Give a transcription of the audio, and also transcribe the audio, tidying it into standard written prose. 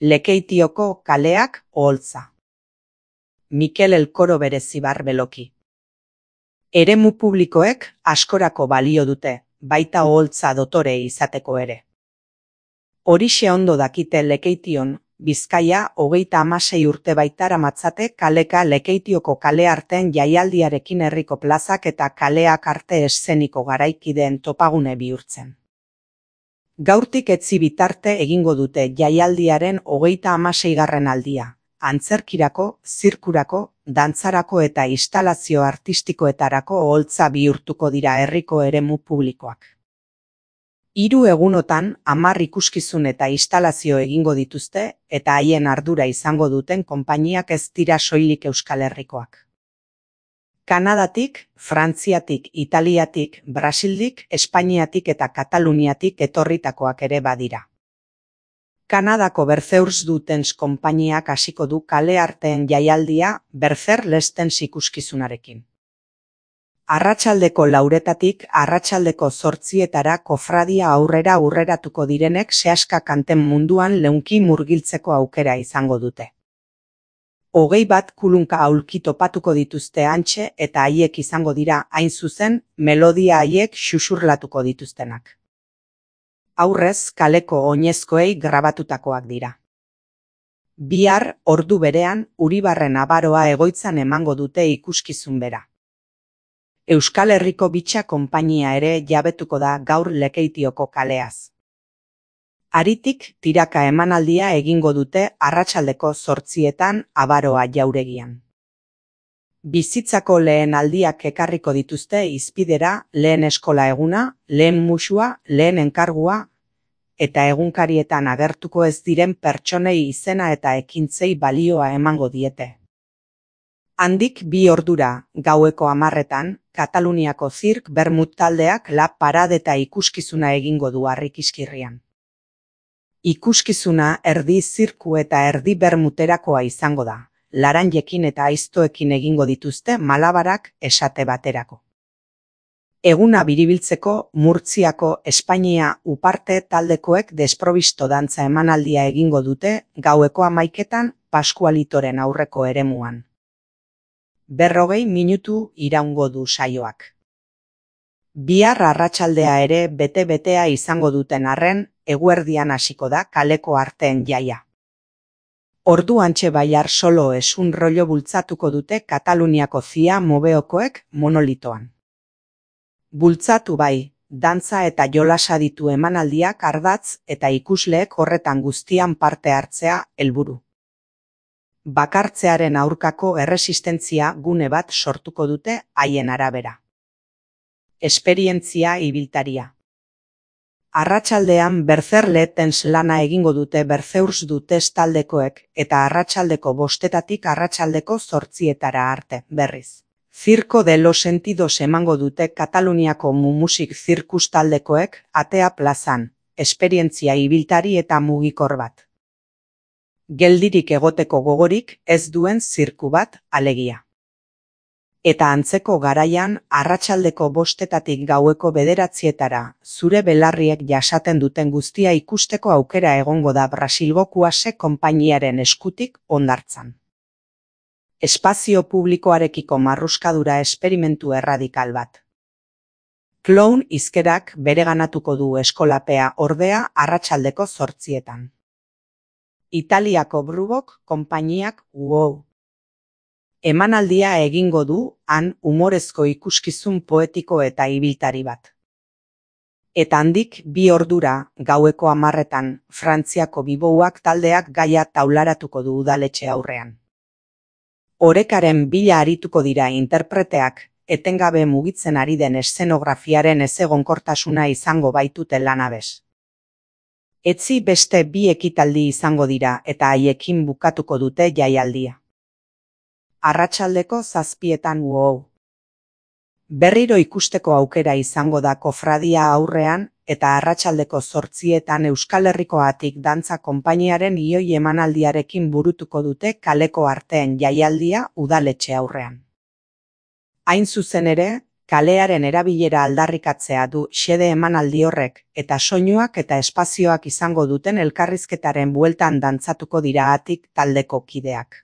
Lekeitioko kaleak oholtza. Mikel Elkoro Berezibar Beloki. Eremu publikoek askorako balio dute, baita oholtza dotore izateko ere. Horixe ondo dakite Lekeition, Bizkaia 36 urte baitara-matzate kaleka Lekeitioko kale arteen jaialdiarekin herriko plazak eta kaleak arte eszeniko garaikideen topagune bihurtzen. Gaurtik etzi bitarte egingo dute jaialdiaren 36. aldia, antzerkirako, zirkurako, dantzarako eta instalazio artistikoetarako oholtza bihurtuko dira herriko eremu publikoak. 3 egunotan 10 ikuskizun eta instalazio egingo dituzte eta haien ardura izango duten konpainiak ez dira soilik Euskal Herrikoak. Kanadatik, Frantziatik, Italiatik, Brasildik, Espainiatik eta Kataluniatik etorritakoak ere badira. Kanadako Bertheurs Dutens konpainiak hasiko du kale arteen jaialdia Berther Lestens ikuskizunarekin. Arratsaldeko 4:00 arratsaldeko 8:00 kofradia aurreratuko direnek sehaska kanten munduan leunki murgiltzeko aukera izango dute. 21 kulunka aulki topatuko dituzte hantxe eta haiek izango dira hain zuzen melodia haiek xuxurlatuko dituztenak. Aurrez kaleko oinezkoei grabatutakoak dira. Bihar ordu berean Uribarren Abaroa egoitzan emango dute ikuskizun bera. Euskal Herriko Bitxa konpainia ere jabetuko da gaur Lekeitioko kaleaz. Haritik tiraka emanaldia egingo dute arratsaldeko 8:00 Abaroa jauregian. Bizitzako lehen aldiak ekarriko dituzte hizpidera lehen eskola eguna, lehen musua, lehen enkargua, eta egunkarietan agertuko ez diren pertsonei izena eta ekintzei balioa emango diete. Handik 2 ordura, gaueko 10:00, Kataluniako Zirk Bermut taldeak La Parade eta ikuskizuna egingo du Harrikizkirrian. Ikuskizuna erdi zirku eta erdi bermuterakoa izango da, laranjekin eta aiztoekin egingo dituzte malabarak esate baterako. Eguna biribiltzeko Murtziako Espainia Uparte taldekoek desprobisto dantza emanaldia egingo dute gaueko 11:00 Paskualitoren aurreko eremuan. 40 minutu iraungo du saioak. Bihar arratsaldea ere bete-betea izango duten arren, eguerdian hasiko da kaleko arteen jaia. Ordu hantxe Baiar Solo esun rollo bultzatuko dute Kataluniako Zia Mobeokoek Monolitoan. Bultzatu bai, dantza eta jolasa ditu emanaldiak ardatz eta ikusleek horretan guztian parte hartzea helburu. Bakartzearen aurkako erresistentzia gune bat sortuko dute haien arabera. Esperientzia ibiltaria. Arratsaldean Berther Lestens lana egingo dute Bertheurs Dutens taldekoek eta arratsaldeko 5:00 arratsaldeko 8:00 arte, berriz. Circo de los Sentidos emango dute Kataluniako Mumusik Zirkus taldekoek Atea plazan, esperientzia ibiltari eta mugikor bat. Geldirik egoteko gogorik ez duen zirku bat, alegia. Eta antzeko garaian, arratsaldeko 5:00 gaueko 9:00 zure belarriek jasaten duten guztia ikusteko aukera egongo da Brasilgo Kuase konpainiaren eskutik hondartzan. Espazio publikoarekiko marruskadura esperimentu erradikal bat. Clown hizkerak bereganatuko du eskolapea ordea arratsaldeko 8:00. Italiako Brubok konpainiak wow! Emanaldia egingo du han umorezko ikuskizun poetiko eta ibiltari bat. Eta handik 2 ordura, gaueko 10:00, Frantziako Bibouak taldeak gaia taularatuko du udaletxe aurrean. Orekaren bila arituko dira interpreteak, etengabe mugitzen ari den eszenografiaren ezegonkortasuna izango baitute lanabes. Etzi beste 2 ekitaldi izango dira eta haiekin bukatuko dute jaialdia. Arratsaldeko 7:00 wow! Berriro ikusteko aukera izango da kofradia aurrean eta arratsaldeko 8:00 Euskal Herrikoatik dantza konpainiaren ioi emanaldiarekin burutuko dute kaleko arteen jaialdia udaletxe aurrean. Hain zuzen ere, Kalearen erabilera aldarrikatzea du xede emanaldi horrek, eta soinuak eta espazioak izango duten elkarrizketaren bueltan dantzatuko dira hatik taldeko kideak.